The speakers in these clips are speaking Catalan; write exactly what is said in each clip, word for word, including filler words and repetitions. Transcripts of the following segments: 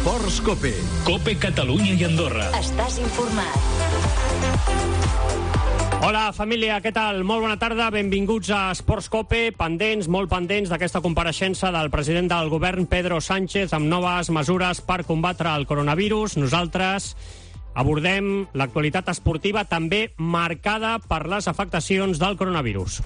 Esports Cope. Cope Catalunya i Andorra. Estàs informat. Hola, família, què tal? Molt bona tarda, benvinguts a Esports Cope, pendents, molt pendents d'aquesta compareixença del president del govern, Pedro Sánchez, amb noves mesures per combatre el coronavirus. Nosaltres abordem l'actualitat esportiva també marcada per les afectacions del coronavirus.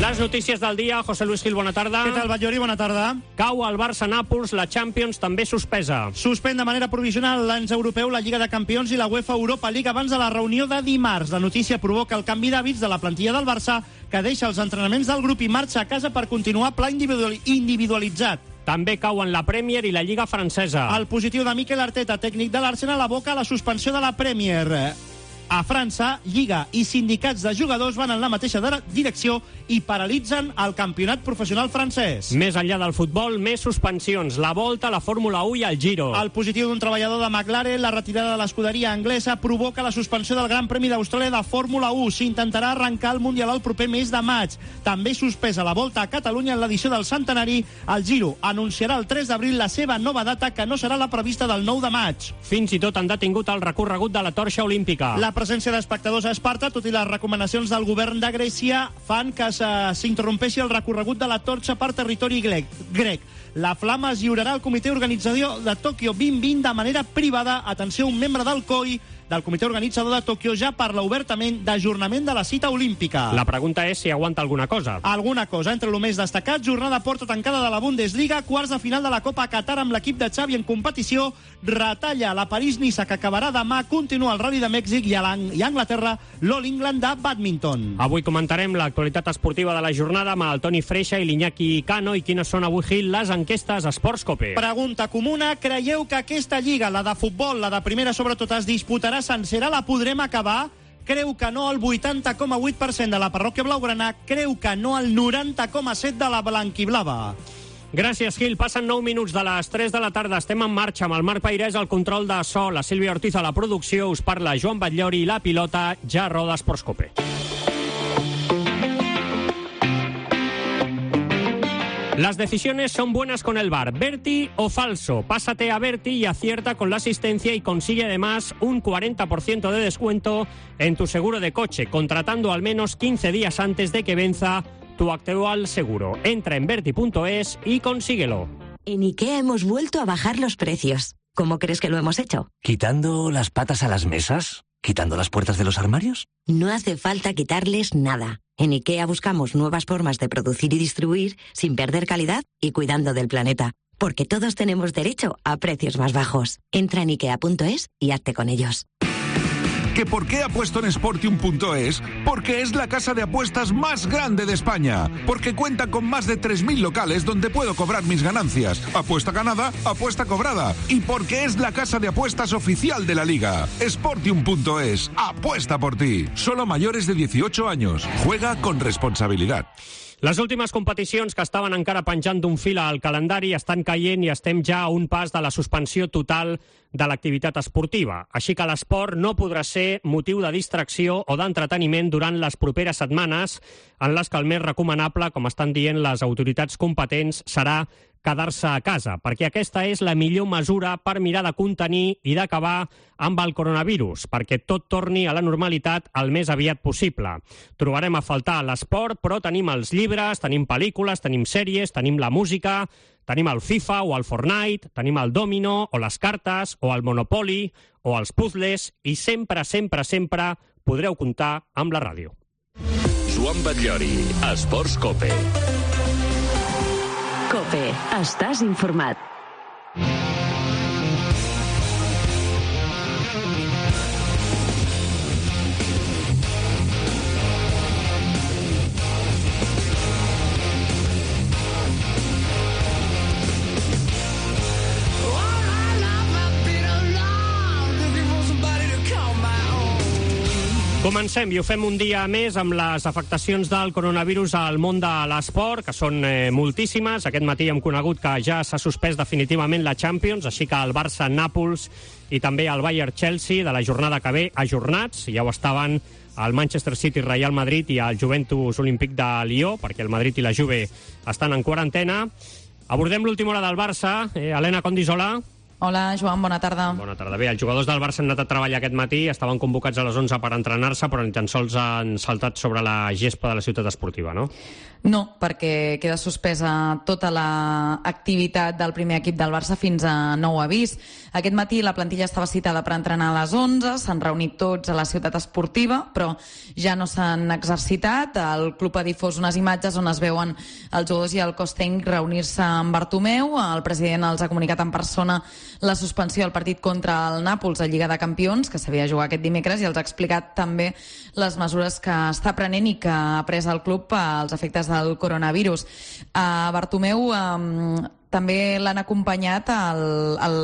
Les notícies del dia. José Luis Gil, bona tarda. Què tal, Batllori? Bona tarda. Cau al Barça-Nàpols, la Champions també suspesa. Suspèn de manera provisional l'ens europeu, la Lliga de Campions i la UEFA Europa League abans de la reunió de dimarts. La notícia provoca el canvi d'hàbits de la plantilla del Barça, que deixa els entrenaments del grup i marxa a casa per continuar pla individualitzat. També cauen la Premier i la Lliga francesa. El positiu de Mikel Arteta, tècnic de l'Arsenal, aboca la suspensió de la Premier. A França, Lliga i sindicats de jugadors van en la mateixa direcció i paralitzen el campionat professional francès. Més enllà del futbol, més suspensions. La Volta, la Fórmula u i el Giro. El positiu d'un treballador de McLaren, la retirada de l'escuderia anglesa, provoca la suspensió del Gran Premi d'Austràlia de Fórmula u. S'intentarà arrencar el Mundial el proper mes de maig. També suspesa la Volta a Catalunya en l'edició del centenari. El Giro anunciarà el tres d'abril la seva nova data, que no serà la prevista del nou de maig. Fins i tot han detingut el recorregut de la torxa olímpica. La presència d'espectadors a Esparta, tot i les recomanacions del govern de Grècia, fan que s'interrompeixi el recorregut de la torxa per territori grec. La flama es lliurarà al comitè organitzador de Tòquio vint vint de manera privada. Atenció, un membre del C O I, del comitè organitzador de Tòquio, ja parla obertament d'ajornament de la cita olímpica. La pregunta és si aguanta alguna cosa. Alguna cosa. Entre el més destacat, jornada porta tancada de la Bundesliga, quarts de final de la Copa Qatar amb l'equip de Xavi en competició, retalla la París-Niça, que acabarà demà, continua el Rally de Mèxic i a Anglaterra l'All England de bàdminton. Avui comentarem l'actualitat esportiva de la jornada amb el Toni Freixa i l'Iñaki Cano. I quines són avui, Gil, les enquestes Esports Cope? Pregunta comuna: creieu que aquesta lliga, la de futbol, la de primera sobretot, es disputarà sencera? La podrem acabar? Creu que no el vuitanta coma vuit per cent de la parròquia blaugrana, creu que no el noranta coma set per cent de la blanquiblava. Gràcies, Gil. Passen nou minuts de les tres de la tarda. Estem en marxa amb el Marc Peirès al control de so, la Sílvia Ortiz a la producció. Us parla Joan Batllori i la pilota ja roda Esports Cope. Las decisiones son buenas con el V A R. ¿Berti o falso? Pásate a Berti y acierta con la asistencia y consigue además un cuarenta por ciento de descuento en tu seguro de coche, contratando al menos quince días antes de que venza tu actual seguro. Entra en Berti punto es y consíguelo. En IKEA hemos vuelto a bajar los precios. ¿Cómo crees que lo hemos hecho? ¿Quitando las patas a las mesas? ¿Quitando las puertas de los armarios? No hace falta quitarles nada. En IKEA buscamos nuevas formas de producir y distribuir sin perder calidad y cuidando del planeta. Porque todos tenemos derecho a precios más bajos. Entra en IKEA punto es y hazte con ellos. ¿Que por qué apuesto en Sportium punto es? Porque es la casa de apuestas más grande de España. Porque cuenta con más de tres mil locales donde puedo cobrar mis ganancias. Apuesta ganada, apuesta cobrada. Y porque es la casa de apuestas oficial de la Liga. Sportium punto es. Apuesta por ti. Solo mayores de dieciocho años. Juega con responsabilidad. Les últimes competicions que estaven encara penjant d'un fil al calendari estan caient i estem ja a un pas de la suspensió total de l'activitat esportiva. Així que l'esport no podrà ser motiu de distracció o d'entreteniment durant les properes setmanes, en les que el més recomanable, com estan dient les autoritats competents, serà quedar-se a casa, perquè aquesta és la millor mesura per mirar de contenir i d'acabar amb el coronavirus, perquè tot torni a la normalitat el més aviat possible. Trobarem a faltar l'esport, però tenim els llibres, tenim pel·lícules, tenim sèries, tenim la música, tenim el FIFA o el Fortnite, tenim el Domino o les cartes o el Monopoly o els puzzles i sempre, sempre, sempre podreu comptar amb la ràdio. Joan Batllori, Esports Cope. Cope, estàs informat. Comencem i ho fem un dia més amb les afectacions del coronavirus al món de l'esport, que són eh, moltíssimes. Aquest matí hem conegut que ja s'ha suspès definitivament la Champions, així que el Barça-Nàpols i també el Bayern-Chelsea de la jornada que ve ajornats. Ja ho estaven el Manchester City-Real Madrid i el Juventus Olímpic de Lió, perquè el Madrid i la Juve estan en quarantena. Abordem l'última hora del Barça. Eh, Helena Condis, hola. Hola, Joan, bona tarda. Bona tarda. Bé, els jugadors del Barça han anat a treballar aquest matí, estaven convocats a les onze per entrenar-se, però ni tan sols han saltat sobre la gespa de la ciutat esportiva, no? No, perquè queda suspesa tota l'activitat del primer equip del Barça fins a nou avís. Aquest matí la plantilla estava citada per entrenar a les onze, s'han reunit tots a la ciutat esportiva, però ja no s'han exercitat. El club ha difós unes imatges on es veuen els jugadors i el cos tècnic reunir-se amb Bartomeu. El president els ha comunicat en persona la suspensió del partit contra el Nàpols a Lliga de Campions, que s'havia de jugar aquest dimecres, i els ha explicat també les mesures que està prenent i que ha pres el club als efectes del coronavirus. A Bartomeu eh, també l'han acompanyat el, el,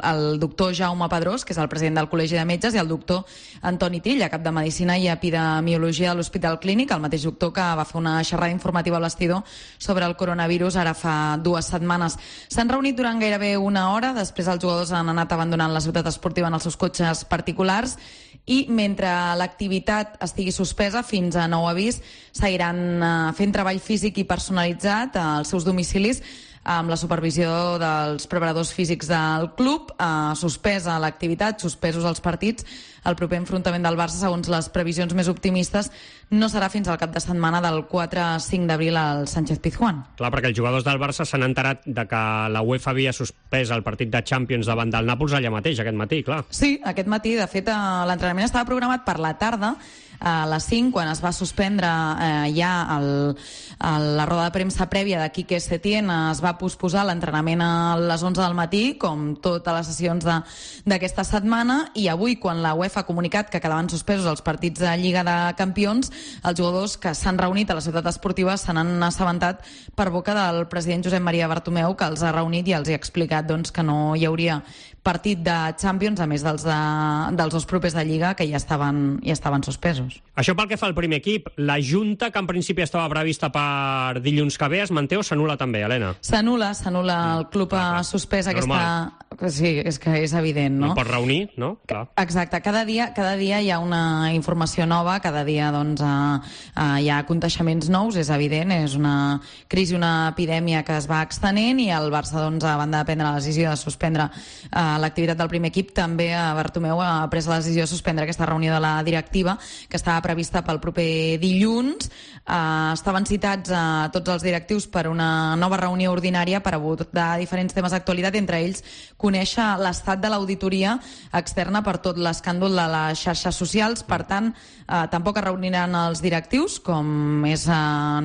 el doctor Jaume Pedrós, que és el president del Col·legi de Metges, i el doctor Antoni Trilla, cap de Medicina i Epidemiologia de l'Hospital Clínic, el mateix doctor que va fer una xerrada informativa al vestidor sobre el coronavirus ara fa dues setmanes. S'han reunit durant gairebé una hora, després els jugadors han anat abandonant la ciutat esportiva en els seus cotxes particulars, i mentre l'activitat estigui suspesa fins a nou avís seguiran eh, fent treball físic i personalitzat als seus domicilis amb la supervisió dels preparadors físics del club. Eh, suspesa l'activitat, suspesos els partits. El proper enfrontament del Barça, segons les previsions més optimistes, no serà fins al cap de setmana del quatre a cinc d'abril al Sánchez-Pizjuán. Clar, perquè els jugadors del Barça s'han enterat de que la UEFA havia suspès el partit de Champions davant del Nàpols allà mateix, aquest matí, clar. Sí, aquest matí, de fet, l'entrenament estava programat per la tarda, a les cinc, quan es va suspendre eh, ja el, el, la roda de premsa prèvia de Quique Setién, es va posposar l'entrenament a les onze del matí, com totes les sessions d'aquesta setmana, i avui, quan la UEFA ha comunicat que quedaven suspesos els partits de Lliga de Campions, els jugadors que s'han reunit a la ciutat esportiva se n'han assabentat per boca del president Josep Maria Bartomeu, que els ha reunit i els ha explicat doncs, que no hi hauria partit de Champions, a més dels, de, dels dos propers de Lliga, que ja estaven, ja estaven suspesos. Això pel que fa al primer equip. La junta, que en principi estava prevista per dilluns que ve, es manté o s'anul·la també, Helena? S'anul·la, s'anul·la. El club ha suspès aquesta... Sí, és que és evident, no? No pot reunir, no? Clar. Exacte. Cada dia, cada dia hi ha una informació nova, cada dia doncs, eh, eh, hi ha conteixements nous, és evident, és una crisi, una epidèmia que es va extenent, i el Barça, doncs, a banda de prendre la decisió de suspendre eh, l'activitat del primer equip, també a Bartomeu ha pres la decisió de suspendre aquesta reunió de la directiva, que estava prevista pel proper dilluns. Eh, estaven citats a eh, tots els directius per una nova reunió ordinària per abordar diferents temes d'actualitat, entre ells conèixer l'estat de l'auditoria externa per tot l'escàndol de les xarxes socials. Per tant, eh, tampoc es reuniran els directius, com és eh,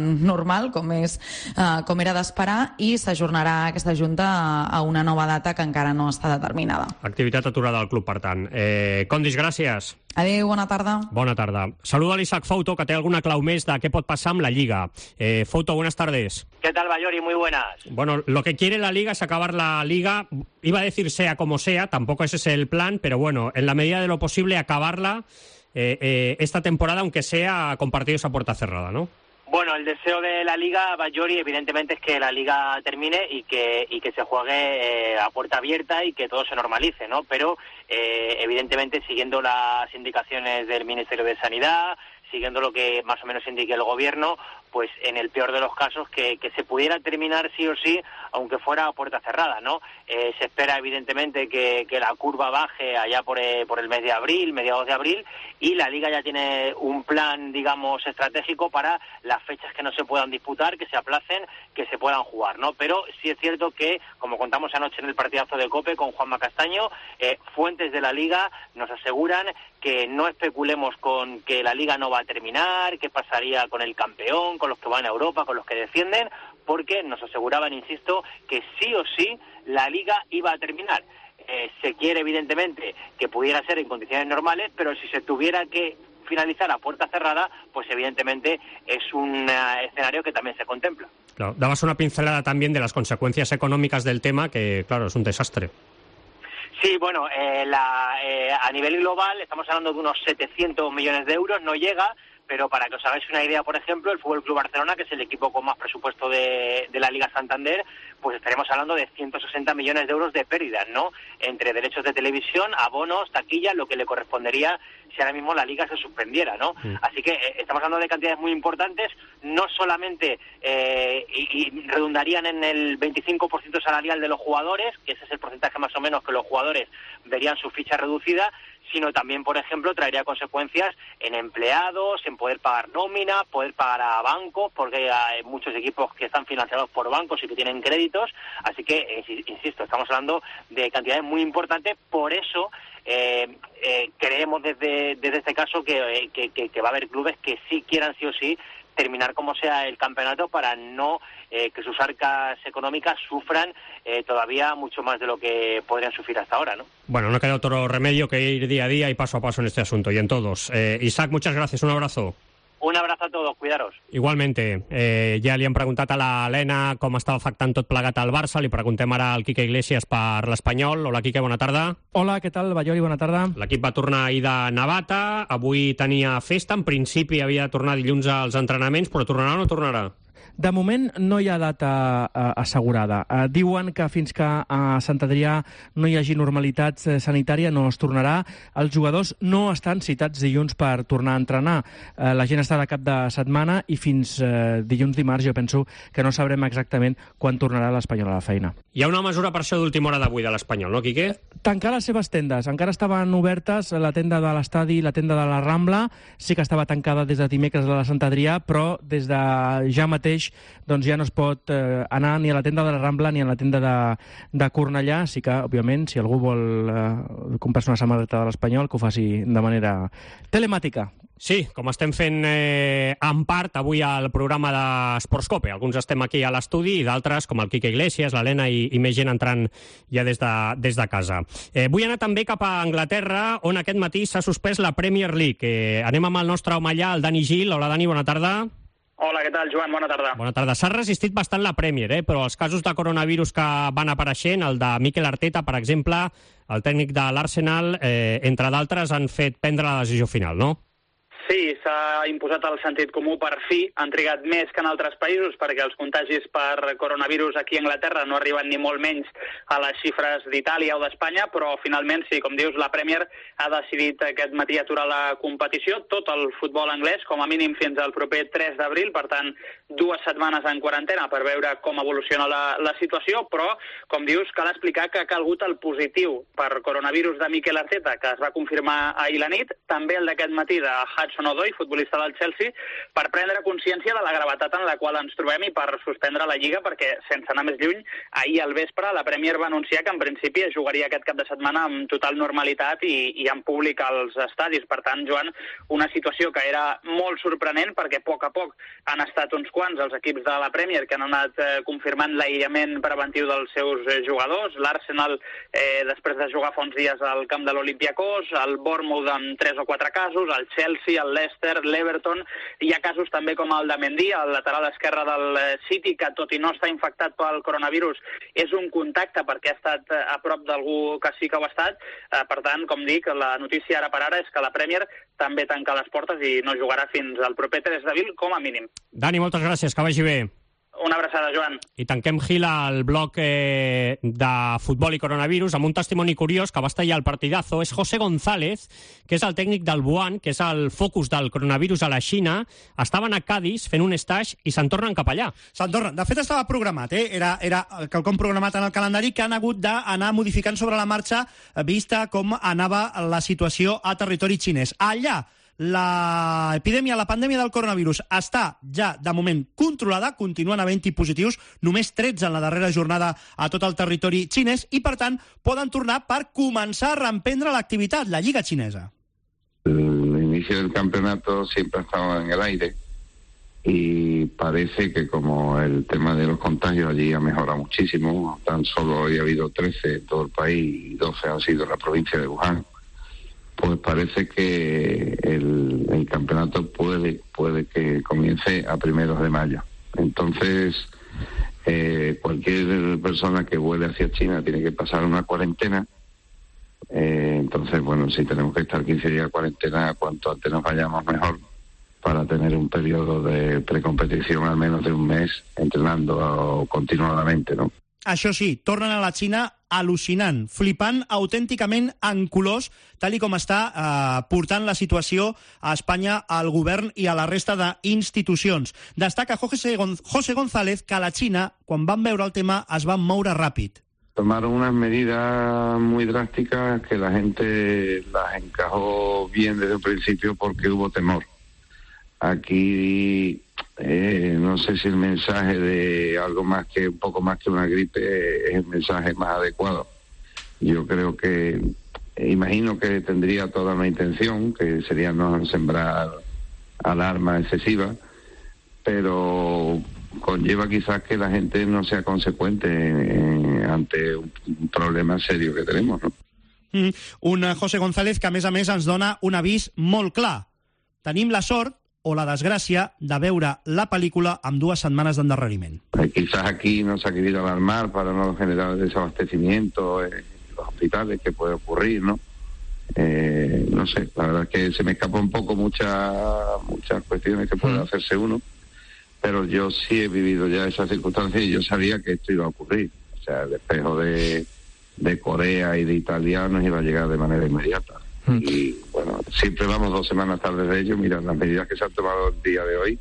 normal, com, és, eh, com era d'esperar, i s'ajornarà aquesta junta a, a una nova data que encara no està determinada. Activitat aturada al club, per tant. Eh, Condis, gràcies. Adéu, bona tarda. Bona tarda. Saluda a l'Isaac Fouto, que té alguna clau més de què pot passar amb la Liga. Eh, Fouto, buenas tardes. ¿Qué tal, Bayori? Muy buenas. Bueno, lo que quiere la Liga es acabar la Liga, iba a decir sea como sea, tampoco ese es el plan, pero bueno, en la medida de lo posible acabarla eh, eh, esta temporada, aunque sea con partidos a puerta cerrada, ¿no? Bueno, el deseo de la Liga, Bayori, evidentemente es que la Liga termine y que y que se juegue eh, a puerta abierta y que todo se normalice, ¿no? Pero, eh, evidentemente, siguiendo las indicaciones del Ministerio de Sanidad, siguiendo lo que más o menos indique el Gobierno, pues en el peor de los casos que, que se pudiera terminar sí o sí, aunque fuera a puerta cerrada, ¿no? Eh, se espera evidentemente que, que la curva baje allá por, eh, por el mes de abril, mediados de abril, y la Liga ya tiene un plan, digamos, estratégico para las fechas que no se puedan disputar, que se aplacen, que se puedan jugar, ¿no? Pero sí es cierto que, como contamos anoche en el partidazo de COPE con Juanma Castaño, eh, fuentes de la Liga nos aseguran que no especulemos con que la Liga no va a terminar, qué pasaría con el campeón, con los que van a Europa, con los que descienden, porque nos aseguraban, insisto, que sí o sí la Liga iba a terminar. Eh, se quiere, evidentemente, que pudiera ser en condiciones normales, pero si se tuviera que finalizar a puerta cerrada, pues evidentemente es un uh, escenario que también se contempla. Claro, dabas una pincelada también de las consecuencias económicas del tema, que claro, es un desastre. Sí, bueno, eh, la, eh, a nivel global estamos hablando de unos setecientos millones de euros, no llega, pero para que os hagáis una idea, por ejemplo, el F C Barcelona, que es el equipo con más presupuesto de, de la Liga Santander, pues estaremos hablando de ciento sesenta millones de euros de pérdidas, ¿no? Entre derechos de televisión, abonos, taquilla, lo que le correspondería si ahora mismo la Liga se suspendiera, ¿no? Sí. Así que eh, estamos hablando de cantidades muy importantes, no solamente eh, y, y redundarían en el veinticinco por ciento salarial de los jugadores, que ese es el porcentaje más o menos que los jugadores verían su ficha reducida, sino también, por ejemplo, traería consecuencias en empleados, en poder pagar nómina, poder pagar a bancos, porque hay muchos equipos que están financiados por bancos y que tienen créditos, así que, insisto, estamos hablando de cantidades muy importantes, por eso eh, eh, creemos desde, desde este caso que, que, que, que va a haber clubes que sí quieran sí o sí terminar como sea el campeonato para no eh, que sus arcas económicas sufran eh, todavía mucho más de lo que podrían sufrir hasta ahora, ¿no? Bueno, no queda otro remedio que ir día a día y paso a paso en este asunto y en todos. Eh, Isaac, muchas gracias, un abrazo. Un abrazo a todos, cuidaros. Igualmente, eh, ja li hem preguntat a l'Helena com estava afectant tot plegat al Barça, li preguntem ara al Quique Iglesias per l'Espanyol. Hola, Quique, bona tarda. Hola, què tal, Ballori, bona tarda. L'equip va tornar ahir de Navata, avui tenia festa, en principi havia de tornar dilluns als entrenaments, però tornarà o no tornarà? De moment no hi ha data eh, assegurada. Eh, diuen que fins que a Sant Adrià no hi hagi normalitat eh, sanitària no es tornarà. Els jugadors no estan citats dilluns per tornar a entrenar. Eh, la gent està de cap de setmana i fins eh, dilluns dimarts jo penso que no sabrem exactament quan tornarà l'Espanyol a la feina. Hi ha una mesura per això d'última hora d'avui de l'Espanyol, no, Quique? Tancar les seves tendes. Encara estaven obertes la tenda de l'estadi i la tenda de la Rambla. Sí que estava tancada des de dimecres de la Sant Adrià, però des de ja mateix doncs ja no es pot eh, anar ni a la tenda de la Rambla ni a la tenda de, de Cornellà. Sí que, òbviament, si algú vol eh, comprar-se una samarreta de l'Espanyol, que ho faci de manera telemàtica. Sí, com estem fent eh, en part avui al programa d'Esportscope. Alguns estem aquí a l'estudi i d'altres, com el Quique Iglesias, l'Helena i, i més gent entrant ja des de, des de casa. Eh, vull anar també cap a Anglaterra, on aquest matí s'ha suspès la Premier League. Eh, anem amb el nostre home allà, el Dani Gil. Hola, Dani, bona tarda. Hola, què tal, Joan? Bona tarda. Bona tarda. S'ha resistit bastant la Premier, eh? Però els casos de coronavirus que van apareixent, el de Mikel Arteta, per exemple, el tècnic de l'Arsenal, eh, entre d'altres, han fet prendre la decisió final, no? Sí, s'ha imposat el sentit comú per fi. Han trigat més que en altres països perquè els contagis per coronavirus aquí a Anglaterra no arriben ni molt menys a les xifres d'Itàlia o d'Espanya, però finalment, sí, com dius, la Premier ha decidit aquest matí aturar la competició, tot el futbol anglès, com a mínim fins al proper tres d'abril, per tant, dues setmanes en quarantena per veure com evoluciona la, la situació, però, com dius, cal explicar que ha calgut el positiu per coronavirus de Mikel Arteta, que es va confirmar ahir la nit, també el d'aquest matí de Hudson-Odoi, futbolista del Chelsea, per prendre consciència de la gravetat en la qual ens trobem i per suspendre la Lliga, perquè, sense anar més lluny, ahir al vespre la Premier va anunciar que en principi es jugaria aquest cap de setmana amb total normalitat i, i en públic als estadis. Per tant, Joan, una situació que era molt sorprenent perquè a poc a poc han estat uns quants els equips de la Premier que han anat eh, confirmant l'aïllament preventiu dels seus eh, jugadors. L'Arsenal, eh, després de jugar fa uns dies al camp de l'Olympiacos, el Bournemouth amb tres o quatre casos, el Chelsea, el Leicester, l'Everton. Hi ha casos també com el de Mendy, el lateral esquerre del City, que tot i no estar infectat pel coronavirus és un contacte perquè ha estat a prop d'algú que sí que ho ha estat. Per tant, com dic, la notícia ara per ara és que la Premier també tanca les portes i no jugarà fins al proper tres d'abril com a mínim. Dani, moltes gràcies, que vagi bé. Una abraçada, Joan. I tanquem Gil al bloc eh, de futbol i coronavirus amb un testimoni curiós que va estar allà al partidazo. És José González, que és el tècnic del Wuhan, que és el focus del coronavirus a la Xina. Estaven a Cádiz fent un stage i se'n tornen cap allà. Se'n tornen. De fet, estava programat, eh? Era, era quelcom programat en el calendari que han hagut d'anar modificant sobre la marxa, vista com anava la situació a territori xinès. Allà, l'epidèmia, la pandèmia del coronavirus està ja de moment controlada, continuen havent-hi positius, només tretze en la darrera jornada a tot el territori xinès i per tant poden tornar per començar a reemprendre l'activitat, la Lliga xinesa. El inicio del campeonato siempre estaba en el aire y parece que como el tema de los contagios allí ha mejorado muchísimo, tan solo hoy ha habido trece en todo el país y doce han sido en la provincia de Wuhan. Pues parece que el, el campeonato puede puede que comience a primeros de mayo. Entonces, eh, cualquier persona que vuele hacia China tiene que pasar una cuarentena Eh, entonces, bueno, si tenemos que estar quince días de cuarentena, cuanto antes nos vayamos mejor, para tener un periodo de precompetición al menos de un mes entrenando continuadamente, ¿no? Això sí, tornen a la Xina al·lucinant, flipant autènticament en colors, tal i com està eh, portant la situació a Espanya, al govern i a la resta d'institucions. Destaca José, Gon José González que a la Xina, quan van veure el tema, es van moure ràpid. Tomaron unas medidas muy drásticas que la gente las encajó bien desde el principio porque hubo temor. Aquí eh, no sé si el mensaje de algo más que un poco más que una gripe es el mensaje más adecuado. Yo creo que, eh, imagino que tendría toda una intención, que sería no sembrar alarma excesiva, pero conlleva quizás que la gente no sea consecuente eh, ante un, un problema serio que tenemos, ¿no? Mm, un José González que, a més a més, ens dona un avís molt clar. Tenim la sort o la desgràcia de veure la pel·lícula amb dues setmanes d'endarreriment. Eh, quizás aquí no se ha querido alarmar para no generar desabastecimiento en los hospitales, que puede ocurrir, ¿no? Eh, no sé, la verdad es que se me escapa un poco muchas muchas cuestiones que puede hacerse uno, pero yo sí he vivido ya esas circunstancias y yo sabía que esto iba a ocurrir. O sea, el despejo de, de Corea y de Italia nos iba a llegar de manera inmediata. Y bueno, siempre vamos dos semanas tarde de ello. Mira, las medidas que se han tomado el día de hoy,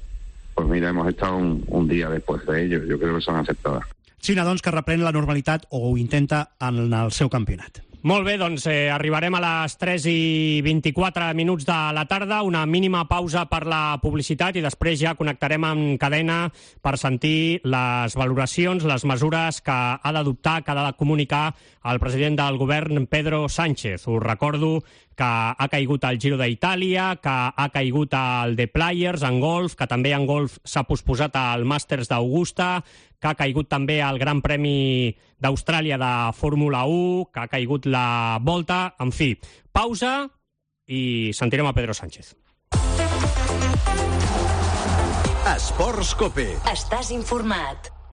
pues mira, hemos estado un, un dia després de ello. Jo crec que són acceptades. Xina, doncs, que reprèn la normalitat, o ho intenta, en el seu campionat. Molt bé, doncs eh, arribarem a les tres i vint-i-quatre minuts de la tarda, una mínima pausa per la publicitat i després ja connectarem en cadena per sentir les valoracions, les mesures que ha d'adoptar, que ha de comunicar el president del govern, Pedro Sánchez. Us recordo que ha caigut el Giro d'Itàlia, que ha caigut el The Players en golf, que també en golf s'ha posposat el Màsters d'Augusta, que ha caigut també el Gran Premi d'Austràlia de Fórmula u, que ha caigut la Volta. En fi, pausa i sentirem a Pedro Sánchez. Esports Cope. Estàs informat.